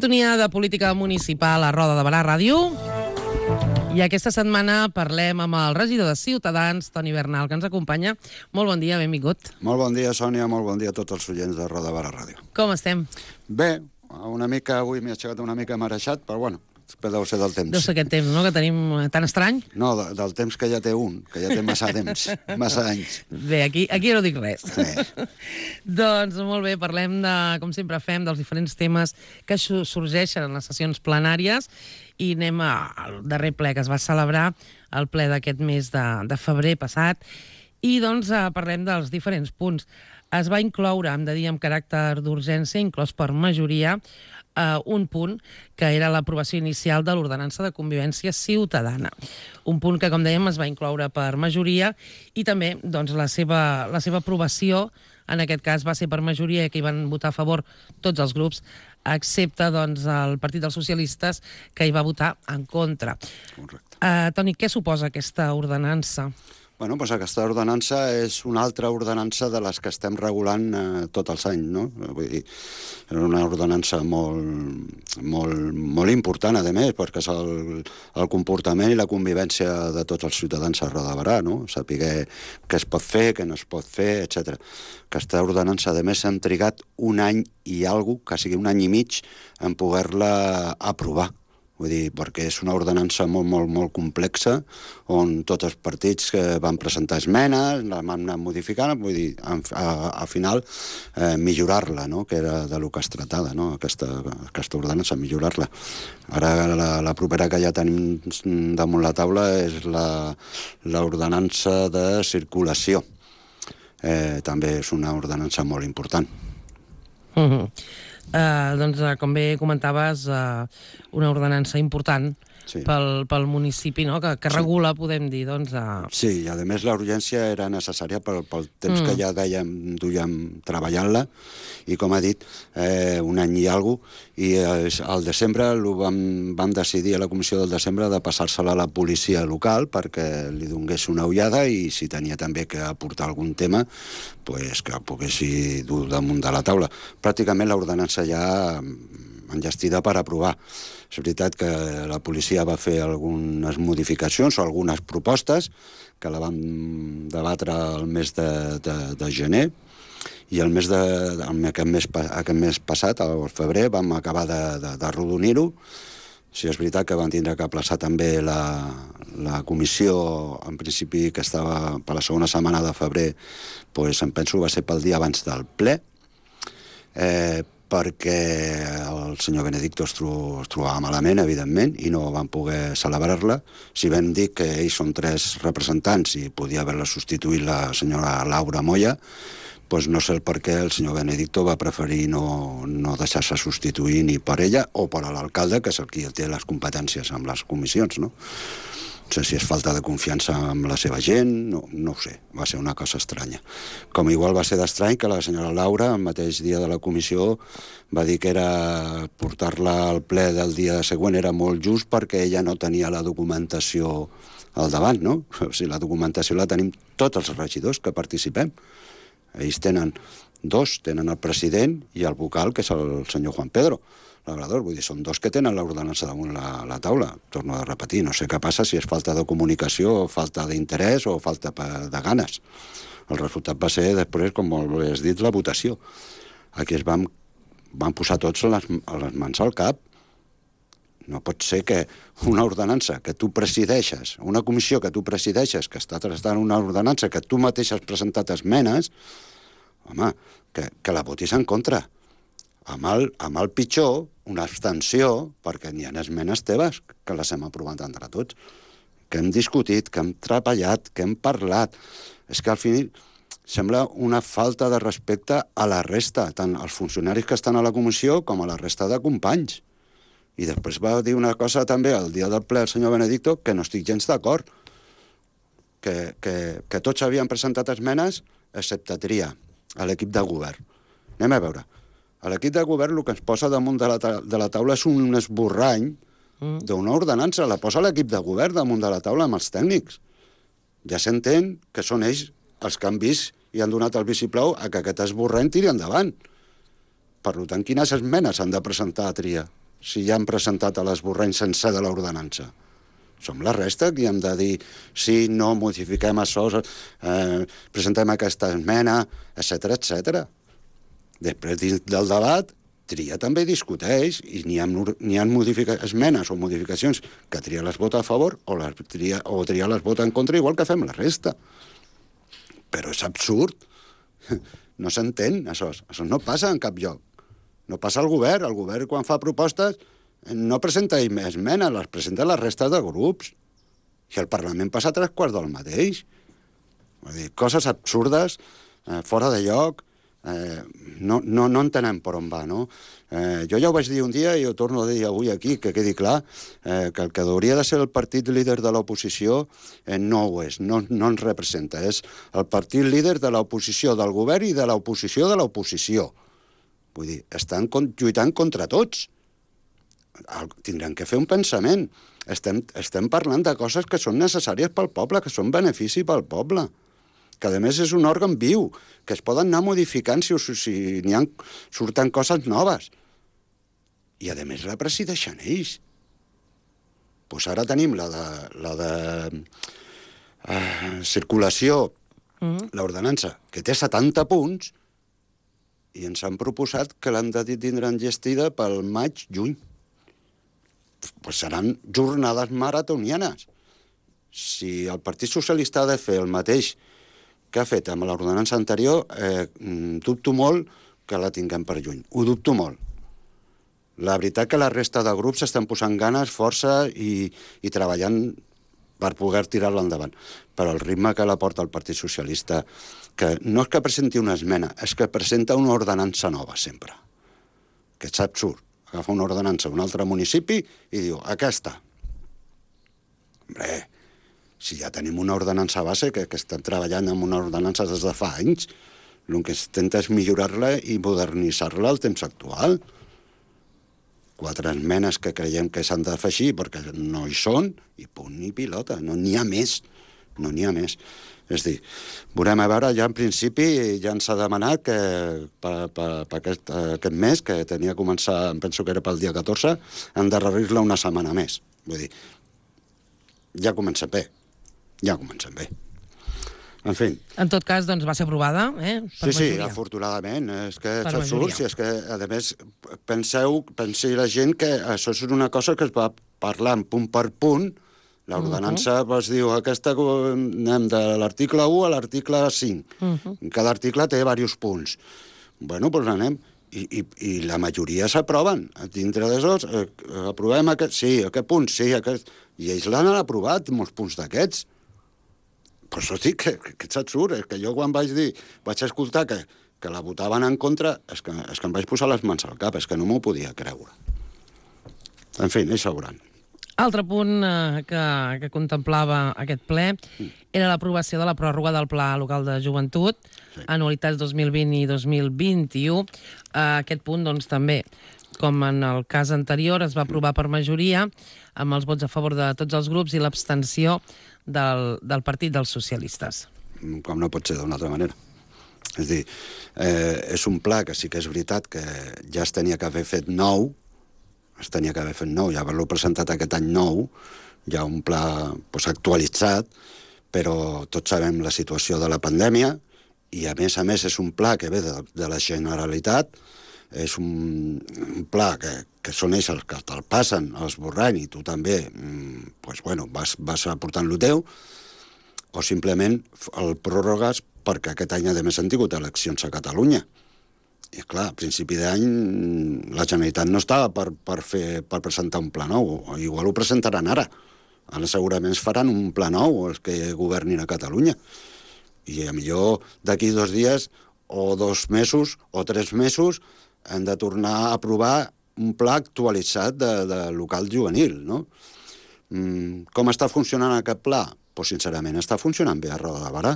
sintonia de política municipal a Roda de Barà Ràdio. I aquesta setmana parlem amb el regidor de Ciutadans, Toni Bernal, que ens acompanya. Molt bon dia, benvingut. Molt bon dia, Sònia, molt bon dia a tots els oients de Roda de Barà Ràdio. Com estem? Bé, una mica, avui m'he aixecat una mica marejat, però bueno, deu ser del temps. Deu ser aquest temps, no?, que tenim tan estrany. No, del temps que ja té que ja té massa temps, massa anys. Bé, aquí no dic res. Sí. Doncs molt bé, parlem de, com sempre fem, dels diferents temes que sorgeixen en les sessions plenàries i anem al darrer ple que es va celebrar, el ple d'aquest mes de febrer passat, i doncs parlem dels diferents punts. Es va incloure, hem de dir, amb caràcter d'urgència, inclòs per majoria, un punt que era l'aprovació inicial de l'ordenança de convivència ciutadana. Un punt que, com dèiem, es va incloure per majoria i també doncs, la seva aprovació, en aquest cas, va ser per majoria, que hi van votar a favor tots els grups, excepte doncs, el Partit dels Socialistes, que hi va votar en contra. Correcte. Toni, què suposa aquesta ordenança? Bueno, doncs aquesta ordenança és una altra ordenança de les que estem regulant tots els anys, no? Vull dir, és una ordenança molt important, a més, perquè és el comportament i la convivència de tots els ciutadans a Roda de Barà, no? Saber què es pot fer, què no es pot fer, etc. Aquesta ordenança, a més, hem trigat un any i alguna cosa, que sigui un any i mig, en poder-la aprovar. Vull dir, perquè és una ordenança molt complexa, on tots els partits van presentar esmenes, la van anar modificant, vull dir, al final millorar-la, no?, que era de lo que es tractava, no?, aquesta ordenança, millorar-la. Ara la propera que ja tenim damunt la taula és l'ordenança de circulació. També és una ordenança molt important. Doncs, com bé comentaves, una ordenança important pel municipi, no?, que regula, podem dir, doncs... Sí, i a més la urgència era necessària pel temps que ja duiem treballant-la, i com ha dit, un any i alguna cosa, i al desembre vam decidir a la comissió del desembre de passar-se-la a la policia local perquè li donés una ullada i si tenia també que aportar algun tema, pues, que poguessi dur damunt de la taula. Pràcticament l'ordenança ja enllestida per aprovar. És veritat que la policia va fer algunes modificacions o algunes propostes que la vam debatre el mes de gener, i aquest mes passat, al febrer, vam acabar d'arrodonir-ho. Sí, és veritat que van tindre que aplaçar també la comissió, en principi, que estava per la segona setmana de febrer, doncs em penso que va ser pel dia abans del ple, perquè el senyor Benedicto es trobava malament, evidentment, i no van poder celebrar-la. Si vam dir que ells són 3 representants i podia haver-la substituït la senyora Laura Moya, doncs no sé per què el senyor Benedicto va preferir no deixar-se substituir ni per ella o per l'alcalde, que és el qui té les competències amb les comissions, no? No sé si és falta de confiança amb la seva gent, no ho sé, va ser una cosa estranya. Com igual va ser d'estrany que la senyora Laura, el mateix dia de la comissió, va dir que portar-la al ple del dia següent era molt just perquè ella no tenia la documentació al davant, no? O sigui, la documentació la tenim tots els regidors que participem. Ells tenen 2, tenen el president i el vocal, que és el senyor Juan Pedro Labrador. Vull dir, són 2 que tenen l'ordenança damunt la taula. Torno a repetir, no sé què passa, si és falta de comunicació, falta d'interès o falta de ganes. El resultat va ser després, com has dit, la votació. Aquí van posar tots les mans al cap. No pot ser que una ordenança que tu presideixes, una comissió que tu presideixes, que està tractant una ordenança que tu mateix has presentat esmenes, home, que la votis en contra. Amb el pitjor, una abstenció, perquè n'hi ha esmenes teves que les hem aprovat entre tots, que hem discutit, que hem treballat, que hem parlat. És que al final sembla una falta de respecte a la resta, tant als funcionaris que estan a la comissió com a la resta de companys. I després va dir una cosa també el dia del ple el senyor Benedicto que no estic gens d'acord, que tots havien presentat esmenes excepte Tria, a l'equip de govern. Anem a veure. A l'equip de govern el que ens posa damunt de la taula és un esborrany d'una ordenança. La posa l'equip de govern damunt de la taula amb els tècnics. Ja s'entén que són ells els que han vist i han donat el vistiplau a que aquest esborrany tiri endavant. Per tant, quines esmenes han de presentar a Tria? si ja han presentat l'esborrany sencer de l'ordenança? Som la resta que hem de dir sí, no, modifiquem això, presentem aquesta esmena, etc etc. Després, dins del debat, tria també discuteix i n'hi ha esmenes o modificacions que tria les vota a favor o tria les vota en contra, igual que fem la resta. Però és absurd. No s'entén, això. Això no passa en cap lloc. No passa al govern. El govern, quan fa propostes, no presenta esmenes, les presenta la resta de grups. I el Parlament passa 3/4 del mateix. Vull dir, coses absurdes, fora de lloc, no entenem per on va, no? Jo ja ho vaig dir un dia i ho torno a dir avui aquí, que quedi clar, que el que hauria de ser el partit líder de l'oposició no ho és, no ens representa. És el partit líder de l'oposició del govern i de l'oposició de l'oposició. Vull dir, estan lluitant contra tots. Tindran que fer un pensament. Estem parlant de coses que són necessàries pel poble, que són benefici pel poble, que a més és un òrgan viu, que es poden anar modificant si surten coses noves. I a més la presideixen ells. Doncs ara tenim la de circulació, l'ordenança, que té 70 punts, i ens han proposat que l'han de tindre enllestida pel maig-juny. Doncs seran jornades maratonianes. Si el Partit Socialista ha de fer el mateix que ha fet amb l'ordenança anterior, dubto molt que la tinguem per juny. Ho dubto molt. La veritat que la resta de grups estan posant ganes, força i treballant per poder tirar-la endavant. Però el ritme que la porta el Partit Socialista, que no és que presenti una esmena, és que presenta una ordenança nova sempre. Que és absurd. Agafa una ordenança d'un altre municipi i diu, aquesta. Hombre, si ja tenim una ordenança base que estem treballant amb una ordenança des de fa anys, el que es intenta és millorar-la i modernitzar-la al temps actual. 4 esmenes que creiem que s'han de fer així perquè no hi són, i punt i pilota, no n'hi ha més. No n'hi ha més. És a dir, veurem a veure, ja en principi ja ens ha demanat que per aquest mes, que tenia que començar, em penso que era pel dia 14, endarrerir-la una setmana més. Vull dir, ja comencem bé. Ja comencem bé. En fi. En tot cas, doncs, va ser aprovada, per majoria. Sí, afortunadament. És que és absurd. Si és que, a més, pensi la gent que això és una cosa que es va parlant punt per punt. L'ordenança es diu, aquesta anem de l'article 1 a l'article 5. Cada article té diversos punts. Bueno, doncs anem. I la majoria s'aproven. Dintre d'això, aprovem aquest, sí, aquest punt, sí, aquest. I ells l'han aprovat, molts punts d'aquests. Per això dic que és absurd. És que jo quan vaig escoltar que la votaven en contra, és que em vaig posar les mans al cap, és que no m'ho podia creure. En fi, ells sabran. Altre punt que contemplava aquest ple era l'aprovació de la pròrroga del Pla Local de Joventut, anualitats 2020 i 2021. Aquest punt, doncs, també, com en el cas anterior, es va aprovar per majoria, amb els vots a favor de tots els grups i l'abstenció del Partit dels Socialistes. Com no pot ser d'una altra manera. És a dir, és un pla que sí que és veritat que ja es tenia que haver fet nou, ja haver-lo presentat aquest any nou, ja un pla actualitzat, però tots sabem la situació de la pandèmia i a més és un pla que ve de la Generalitat, és un pla que són ells els que te'l passen, l'esborrany, i tu també vas aportant-lo teu, o simplement el pròrrogues perquè aquest any a més han tingut eleccions a Catalunya. I clar, a principi d'any la Generalitat no estava per presentar un pla nou. Igual ho presentaran ara. Ara segurament faran un pla nou els que governin a Catalunya. I millor d'aquí 2 dies o 2 mesos o 3 mesos hem de tornar a aprovar un pla actualitzat de local juvenil, no? Com està funcionant aquest pla? Doncs sincerament està funcionant bé a Roda de Barà.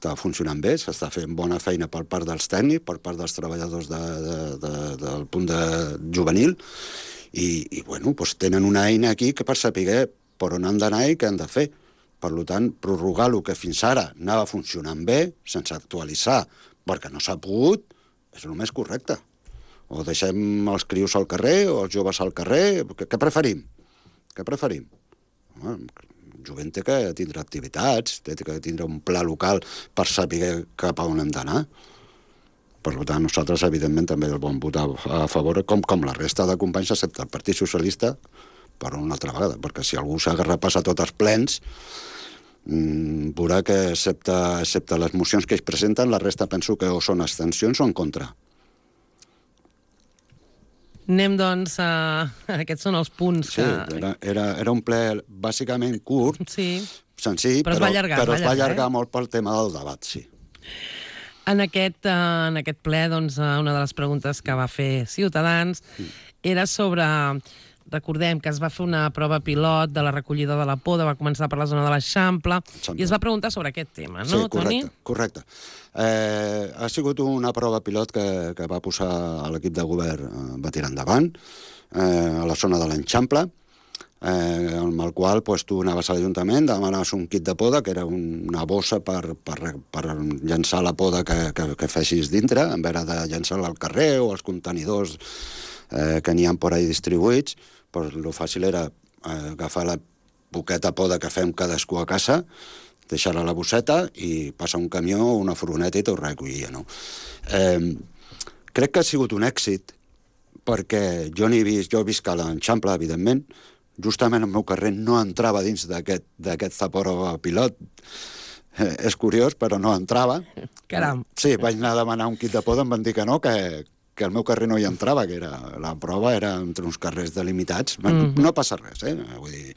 Està funcionant bé, s'està fent bona feina per part dels tècnics, per part dels treballadors del punt de juvenil, i tenen una eina aquí que per saber per on han d'anar i què han de fer. Per tant, prorrogar el que fins ara anava funcionant bé, sense actualitzar, perquè no s'ha pogut, és el més correcte. O deixem els crios al carrer o els joves al carrer? Què preferim? Què preferim? El jovent té que tindre activitats, té que tindre un pla local per saber cap a on hem d'anar. Per tant, nosaltres, evidentment, també el vam votar a favor, com la resta de companys, excepte el Partit Socialista, per una altra vegada, perquè si algú s'ha repassat tots els plens, veurà que, excepte les mocions que ells presenten, la resta penso que o són abstencions o en contra. Anem, doncs, aquests són els punts que... Sí, era un ple bàsicament curt, senzill, però es va allargar molt pel tema del debat, sí. En aquest ple, doncs, una de les preguntes que va fer Ciutadans era sobre... Recordem que es va fer una prova pilot de la recollida de la poda, va començar per la zona de l'Eixample, i es va preguntar sobre aquest tema, no, Toni? Sí, correcte. Ha sigut una prova pilot que va posar l'equip de govern, va tirar endavant, a la zona de l'Eixample, amb el qual tu anaves a l'Ajuntament, demanaves un kit de poda, que era una bossa per llançar la poda que fessis dintre, en vez de llançar-la al carrer o als contenidors que n'hi ha per ahí distribuïts. El fàcil era agafar la poqueta poda que fem cadascú a casa, deixar-la a la bosseta i passar un camió o una furgoneta i tot recollia, no? Crec que ha sigut un èxit, perquè jo visc a l'Eixample, evidentment, justament el meu carrer no entrava dins d'aquest Zaporo pilot. És curiós, però no entrava. Caram. Sí, vaig anar a demanar un kit de poda, em van dir que no, que el meu carrer no hi entrava, que la prova era entre uns carrers delimitats. No passa res, vull dir...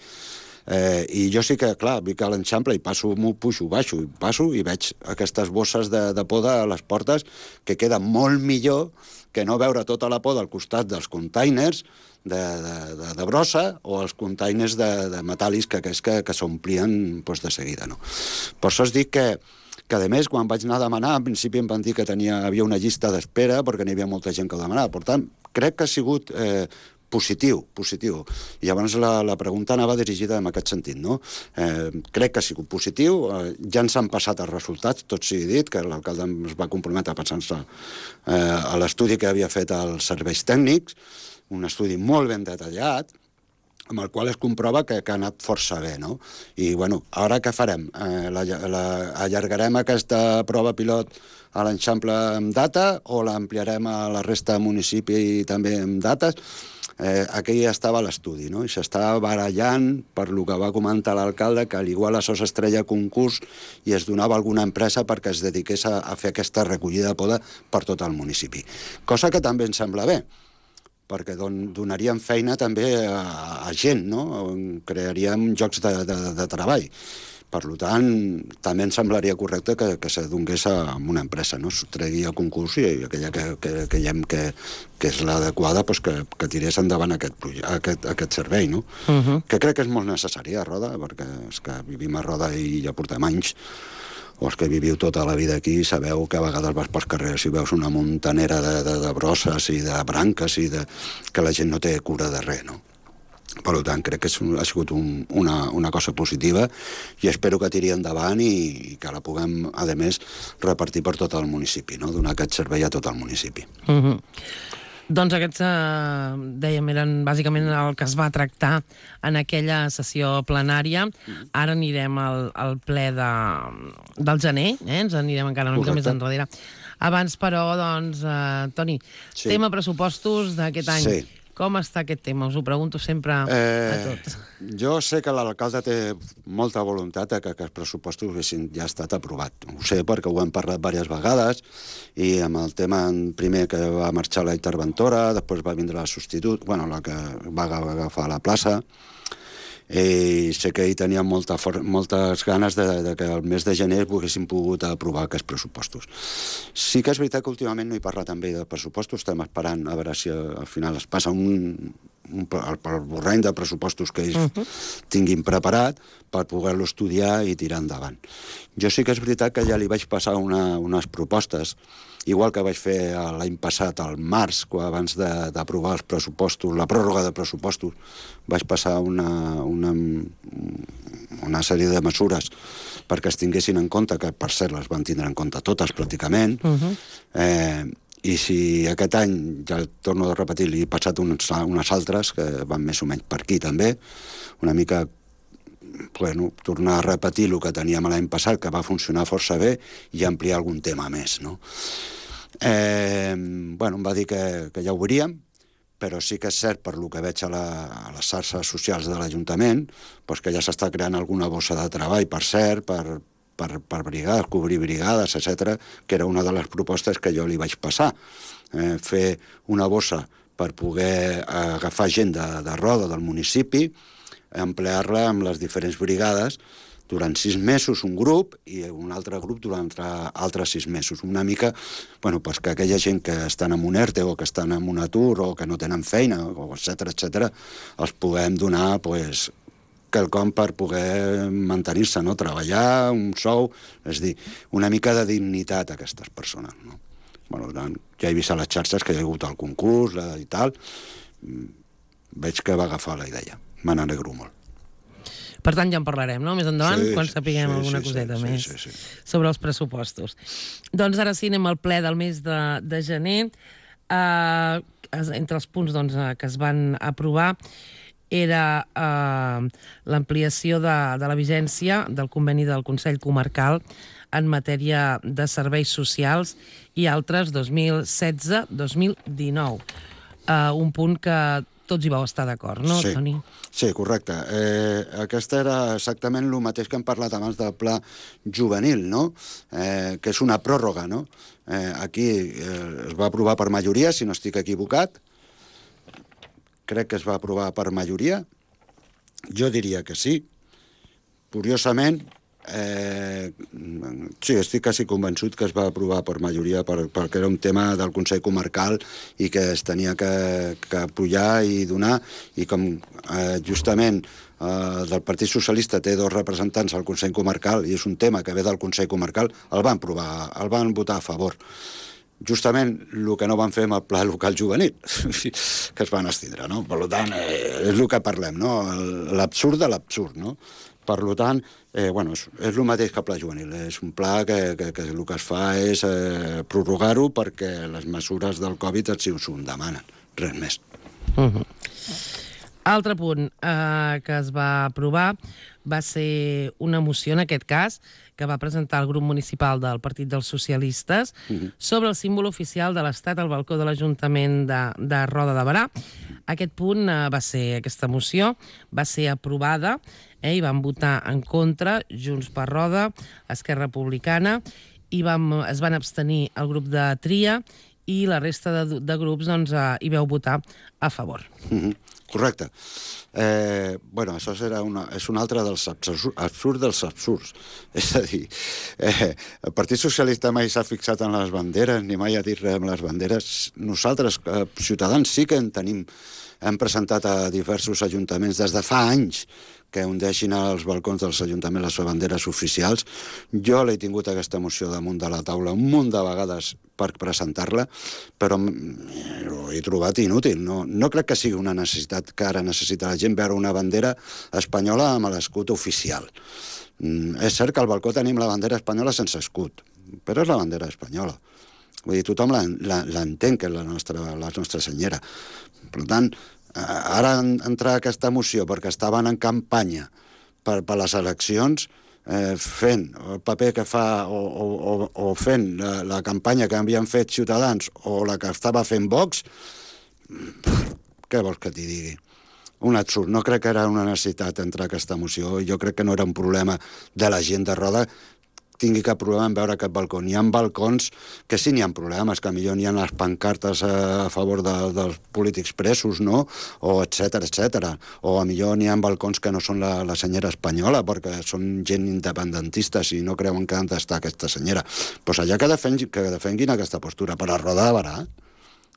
I jo sí que, clar, vinc a l'Eixample i pujo, baixo, i veig aquestes bosses de poda a les portes, que queda molt millor que no veure tota la poda al costat dels containers de brossa o els containers de metàl·lics que s'omplien de seguida, no? Per això es dic que a més, quan vaig anar a demanar, en principi em van dir que havia una llista d'espera perquè n'hi havia molta gent que ho demanava. Per tant, crec que ha sigut positiu. I llavors la pregunta anava dirigida en aquest sentit, no? Crec que ha sigut positiu, ja ens han passat els resultats, tot sigui dit, que l'alcalde es va comprometre pensant-se a l'estudi que havia fet els serveis tècnics, un estudi molt ben detallat, amb el qual es comprova que ha anat força bé, no? I, bueno, ara què farem? Allargarem aquesta prova pilot a l'Eixample amb data o l'ampliarem a la resta de municipi també amb dates? Aquí ja estava l'estudi, no? I s'estava barallant per lo que va comentar l'alcalde, que igual això s'estreia a concurs i es donava a alguna empresa perquè es dediqués a fer aquesta recollida de poda per tot el municipi. Cosa que també em sembla bé, perquè donaríem feina també a gent, no? Crearíem llocs de treball. Per tant, també em semblaria correcte que se donés a una empresa, no? S'ho tregui a concurs i aquella que veiem que és l'adequada, que tirés endavant aquest servei, no? Que crec que és molt necessari a Roda, perquè és que vivim a Roda i ja portem anys, o els que viviu tota la vida aquí sabeu que a vegades vas pels carrers i veus una muntanera de brosses i de branques i que la gent no té cura de res, no? Per tant, crec que ha sigut una cosa positiva i espero que tiri endavant i que la puguem, a més, repartir per tot el municipi, no? Donar aquest servei a tot el municipi. Doncs aquests, dèiem, eren bàsicament el que es va tractar en aquella sessió plenària. Ara anirem al ple del gener, ens anirem encara una mica més enrere. Abans, però, doncs, Toni, tema pressupostos d'aquest any. Sí. Com està aquest tema? Us ho pregunto sempre a tots. Jo sé que l'alcalde té molta voluntat que els pressupostos haguessin ja estat aprovat. Ho sé perquè ho hem parlat diverses vegades i amb el tema primer que va marxar la interventora, després va vindre la substitut, la que va agafar la plaça, i sé que hi tenia moltes ganes que el mes de gener haguessin pogut aprovar aquests pressupostos. Sí que és veritat que últimament no hi parla també de pressupostos, estem esperant a veure si al final es passa el borrany de pressupostos que ells tinguin preparat per poder-lo estudiar i tirar endavant. Jo sí que és veritat que ja li vaig passar unes propostes, igual que vaig fer l'any passat, al març, abans d'aprovar els pressupostos, la pròrroga de pressupostos, vaig passar una sèrie de mesures perquè es tinguessin en compte, que per cert les van tindre en compte totes pràcticament, I si aquest any, ja torno a repetir, li he passat unes altres que van més o menys per aquí també, una mica tornar a repetir el que teníem l'any passat, que va funcionar força bé, i ampliar algun tema més, no? Em va dir que ja ho veuríem, però sí que és cert, per lo que veig a les xarxes socials de l'Ajuntament, que ja s'està creant alguna bossa de treball, per cert, per brigades, cobrir brigades, etc., que era una de les propostes que jo li vaig passar. Fer una bossa per poder agafar gent de Roda, del municipi, emplear-la amb les diferents brigades durant 6 mesos un grup i un altre grup durant altres 6 mesos. Una mica, que aquella gent que estan en un ERTE o que estan en un atur o que no tenen feina, etc., els puguem donar, quelcom per poder mantenir-se, no? Treballar, un sou, és dir, una mica de dignitat a aquestes persones, no? Ja he vist a les xarxes que hi ha hagut el concurs i tal, veig que va agafar la idea, me n'alegro molt. Per tant, ja en parlarem, no?, més endavant, quan sapiguem alguna coseta més sobre els pressupostos. Doncs ara sí, anem al ple del mes de gener. Entre els punts que es van aprovar era l'ampliació de la vigència del conveni del Consell Comarcal en matèria de serveis socials i altres 2016-2019. Un punt que tots hi vau estar d'acord, no, Toni? Sí, correcte. Aquesta era exactament el mateix que hem parlat abans del pla juvenil, no? Que és una pròrroga, no? Aquí es va aprovar per majoria, si no estic equivocat. Crec que es va aprovar per majoria. Jo diria que sí. Curiosament, sí, estic quasi convençut que es va aprovar per majoria perquè era un tema del Consell Comarcal i que es tenia que apoyar i donar, i com justament del Partit Socialista té 2 representants al Consell Comarcal i és un tema que ve del Consell Comarcal, el van votar a favor. Justament el que no van fer amb el pla local juvenil, que es van abstindre, no? Per tant, és el que parlem, no? L'absurd de l'absurd, no? Per tant, és el mateix que el pla juvenil. És un pla que el que es fa és prorrogar-ho perquè les mesures del Covid així ho demanen. Res més. Altre punt que es va aprovar va ser una moció, en aquest cas, que va presentar el grup municipal del Partit dels Socialistes sobre el símbol oficial de l'Estat al balcó de l'Ajuntament de Roda de Berà. Aquesta moció va ser aprovada i van votar en contra Junts per Roda, Esquerra Republicana, i es van abstenir el grup de Tria i la resta de grups hi vau votar a favor. Correcte. Això és un altre dels absurds dels absurds. És a dir, el Partit Socialista mai s'ha fixat en les banderes, ni mai ha dit res amb les banderes. Nosaltres, Ciutadans, sí que hem presentat a diversos ajuntaments des de fa anys que ondeixin als balcons dels ajuntaments les banderes oficials. Jo l'he tingut aquesta moció damunt de la taula un munt de vegades per presentar-la, però ho he trobat inútil. No crec que sigui una necessitat que ara necessita la gent veure una bandera espanyola amb l'escut oficial. És cert que al balcó tenim la bandera espanyola sense escut, però és la bandera espanyola. Vull dir, tothom l'entén, que és la nostra senyera. Per tant, ara entrar aquesta moció perquè estaven en campanya per les eleccions, fent el paper que fa o fent la campanya que havien fet Ciutadans o la que estava fent Vox, què vols que t'hi digui? Un absurd. No crec que era una necessitat entrar aquesta moció. Jo crec que no era un problema de la gent de Roda tingui cap problema en veure aquest balcó. N'hi ha balcons que sí n'hi ha problemes, que millor n'hi ha les pancartes a favor dels polítics presos, no? O etcètera. O a millor n'hi ha balcons que no són la senyera espanyola, perquè són gent independentistes i no creuen que han d'estar aquesta senyera. Doncs allà que defenguin aquesta postura. Per a Roda de Berà,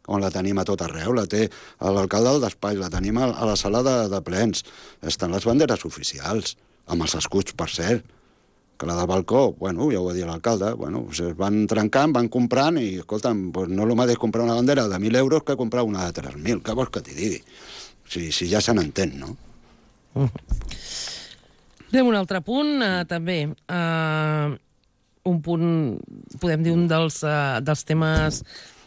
on la tenim a tot arreu, la té l'alcalde del despatx, la tenim a la sala de plens. Estan les banderes oficials, amb els escuts, per cert. Que la del balcó, ja ho va dir l'alcalde, es van trencant, van comprant i, escolta'm, no és el mateix comprar una bandera de 1.000 euros que comprar una de 3.000. Què vols que t'hi digui? Si ja se n'entén, no? Anem a un altre punt, també. Un punt, podem dir, un dels temes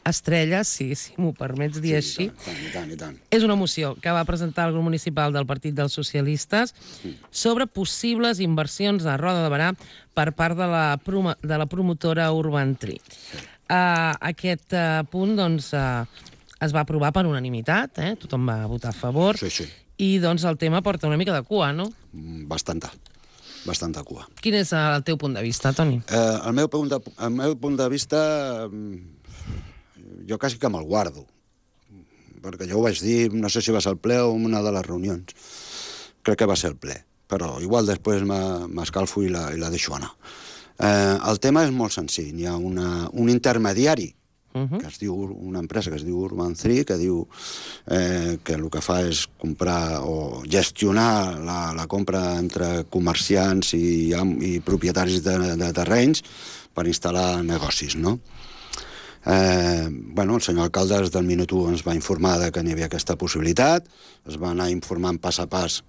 estrella, si m'ho permets dir així. I tant. És una moció que va presentar el grup municipal del Partit dels Socialistes sobre possibles inversions a Roda de Berà per part de la promotora Urban Tree. Aquest punt, doncs, es va aprovar per unanimitat, tothom va votar a favor, i doncs el tema porta una mica de cua, no? Bastanta cua. Quin és el teu punt de vista, Toni? El meu punt de vista, jo quasi que me'l guardo, perquè jo ho vaig dir, no sé si va ser el ple o una de les reunions. Crec que va ser el ple, però igual després m'escalfo i la deixo anar. El tema és molt senzill. Hi ha un intermediari, que es diu, una empresa que es diu Urban Tree, que diu que el que fa és comprar o gestionar la compra entre comerciants i propietaris de terrenys per instal·lar negocis, no? El senyor alcalde des del minut 1 ens va informar que n'hi havia aquesta possibilitat, es va anar informant pas a pas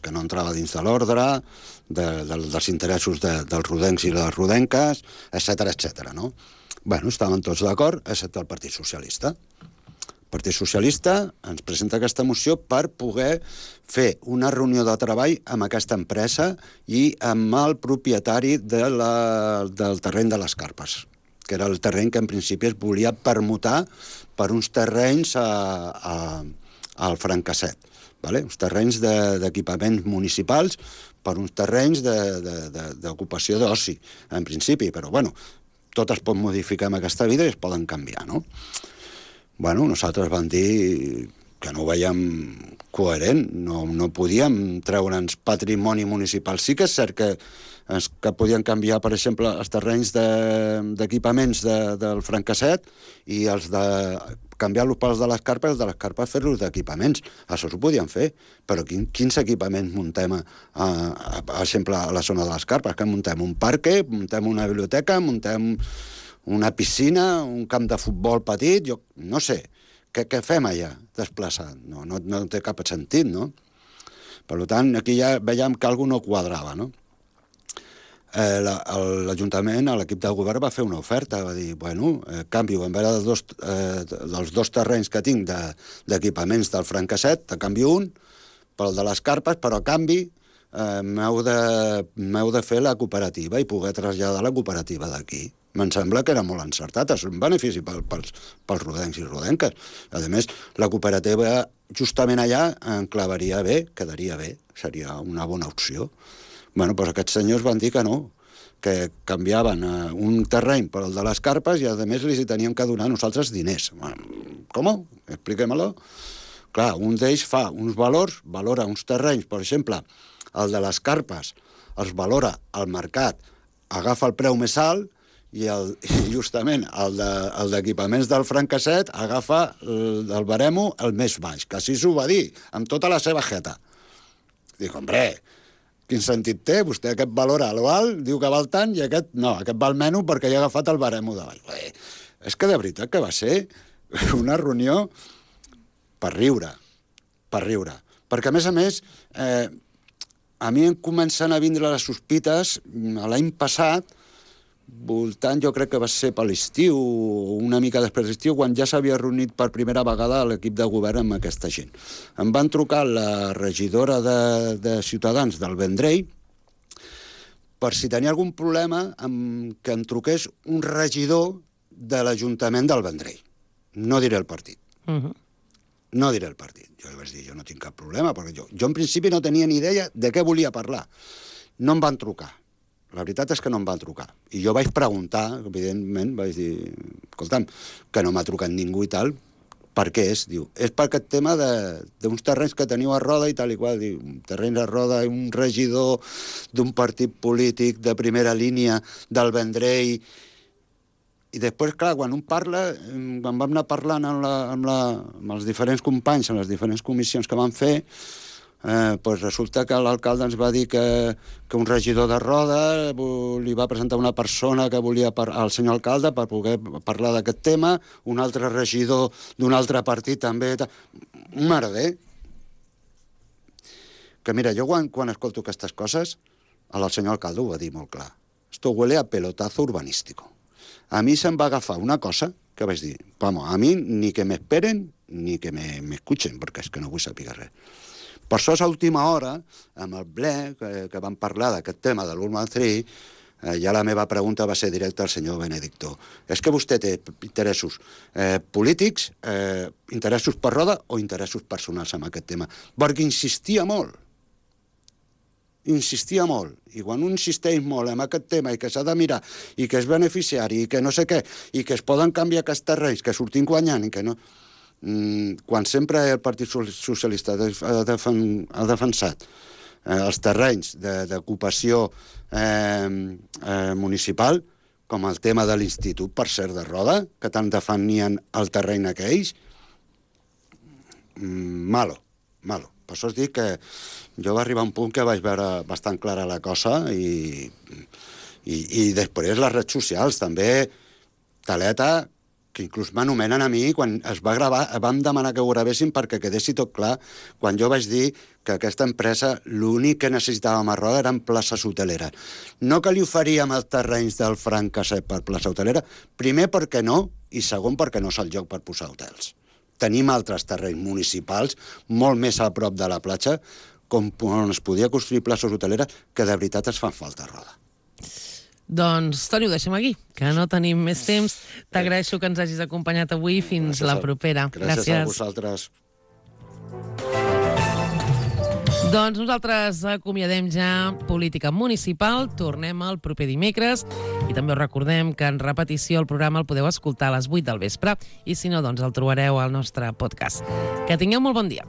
que no entrava dins de l'ordre, dels interessos dels rodencs i les rodenques, etcètera, no? Estaven tots d'acord, excepte el Partit Socialista. El Partit Socialista ens presenta aquesta moció per poder fer una reunió de treball amb aquesta empresa i amb el propietari del terreny de les Carpes, que era el terreny que en principi es volia permutar per uns terrenys al Francasset, uns terrenys d'equipaments municipals per uns terrenys d'ocupació d'oci, en principi, però tot es pot modificar en aquesta vida i es poden canviar, no? Nosaltres vam dir que no ho veiem coherent, no podíem treure'ns patrimoni municipal. Sí que és cert que podien canviar, per exemple, els terrenys d'equipaments del Francasset i els de canviar-los pels de les Carpes fer-los d'equipaments. Això s'ho podien fer, però quins equipaments muntem, per exemple, a la zona de les Carpes? Que muntem un parc, muntem una biblioteca, muntem una piscina, un camp de futbol petit, jo no sé. Què fem allà, desplaçat? No té cap sentit, no? Per tant, aquí ja veiem que alguna no quadrava, no? L'Ajuntament, l'equip del govern va fer una oferta, va dir, canvio, en vez dels dos terrenys que tinc d'equipaments del Francasset, te canvio un pel de les Carpes, però a canvi m'heu de fer la cooperativa i poder traslladar la cooperativa d'aquí. Me'n sembla que era molt encertat, és un benefici pels rodencs i rodenques. A més, la cooperativa justament allà enclavaria bé, quedaria bé, seria una bona opció. Doncs aquests senyors van dir que no, que canviaven un terreny per el de les Carpes i, a més, li teníem que donar a nosaltres diners. Com? Expliquem-lo. Clar, un d'ells fa uns valors, valora uns terrenys, per exemple, el de les Carpes els valora al mercat, agafa el preu més alt i justament el d'equipaments del Francasset agafa el baremo el més baix, que així s'ho va dir, amb tota la seva jeta. Dic, hombre, quin sentit té? Vostè aquest valora a l'alt, diu que val tant, i aquest no, aquest val menys perquè ja ha agafat el baremo de baix. És que de veritat que va ser una reunió per riure. Perquè, a més, a mi em comencen a vindre les sospites l'any passat, voltant, jo crec que va ser per l'estiu, una mica després de l'estiu, quan ja s'havia reunit per primera vegada l'equip de govern amb aquesta gent. Em van trucar la regidora de Ciutadans del Vendrell per si tenia algun problema que em truqués un regidor de l'Ajuntament del Vendrell. No diré el partit. No diré el partit. Jo li vaig dir, jo no tinc cap problema, perquè jo en principi no tenia ni idea de què volia parlar. No em van trucar. La veritat és que no em van trucar. I jo vaig preguntar, evidentment, vaig dir, escolta'm, que no m'ha trucat ningú i tal, per què és? Diu, és per aquest tema d'uns terrenys que teniu a Roda i tal i qual. Diu, terrenys a Roda, un regidor d'un partit polític de primera línia del Vendrell. I després, clar, quan un parla, quan vam anar parlant amb els diferents companys, amb les diferents comissions que van fer, resulta que l'alcalde ens va dir que un regidor de Roda li va presentar una persona que volia al senyor alcalde per poder parlar d'aquest tema, un altre regidor d'un altre partit també. Un merder. Que mira, jo quan escolto aquestes coses, el senyor alcalde ho va dir molt clar. Esto huele a pelotazo urbanístico. A mi se'm va agafar una cosa que vaig dir, vamos, a mi ni que m'esperen ni que m'escuchen, perquè és que no vull saber res. Per això, a l'última hora, amb el ple, que vam parlar d'aquest tema de l'Urban 3, ja la meva pregunta va ser directa al senyor Benedicto. És que vostè té interessos polítics, interessos per roda o interessos personals amb aquest tema? Perquè insistia molt. I quan un insisteix molt en aquest tema i que s'ha de mirar i que és beneficiari i que no sé què, i que es poden canviar aquests terrenys, que sortim guanyant i que no... Quan sempre el Partit Socialista ha defensat els terrenys d'ocupació municipal, com el tema de l'Institut, per cert, de Roda, que tant defenien el terreny aquells, malo. Per això us dic que jo va arribar a un punt que vaig veure bastant clara la cosa i després les redes socials també, taleta, que inclús m'anomenen a mi quan es va gravar, vam demanar que ho gravessin perquè quedessi tot clar quan jo vaig dir que aquesta empresa l'únic que necessitàvem a Roda eren places hoteleres. No que li oferíem els terrenys del Franc Casset per plaça hotelera, primer perquè no, i segon perquè no és el lloc per posar hotels. Tenim altres terrenys municipals molt més a prop de la platja on es podia construir places hoteleres que de veritat es fan falta a Roda. Doncs, Toni, ho deixem aquí, que no tenim més temps. T'agraeixo que ens hagis acompanyat avui. Fins la propera. Gràcies a vosaltres. Doncs nosaltres acomiadem ja Política Municipal. Tornem el proper dimecres. I també us recordem que en repetició el programa el podeu escoltar a les 8 del vespre. I si no, doncs el trobareu al nostre podcast. Que tingueu molt bon dia.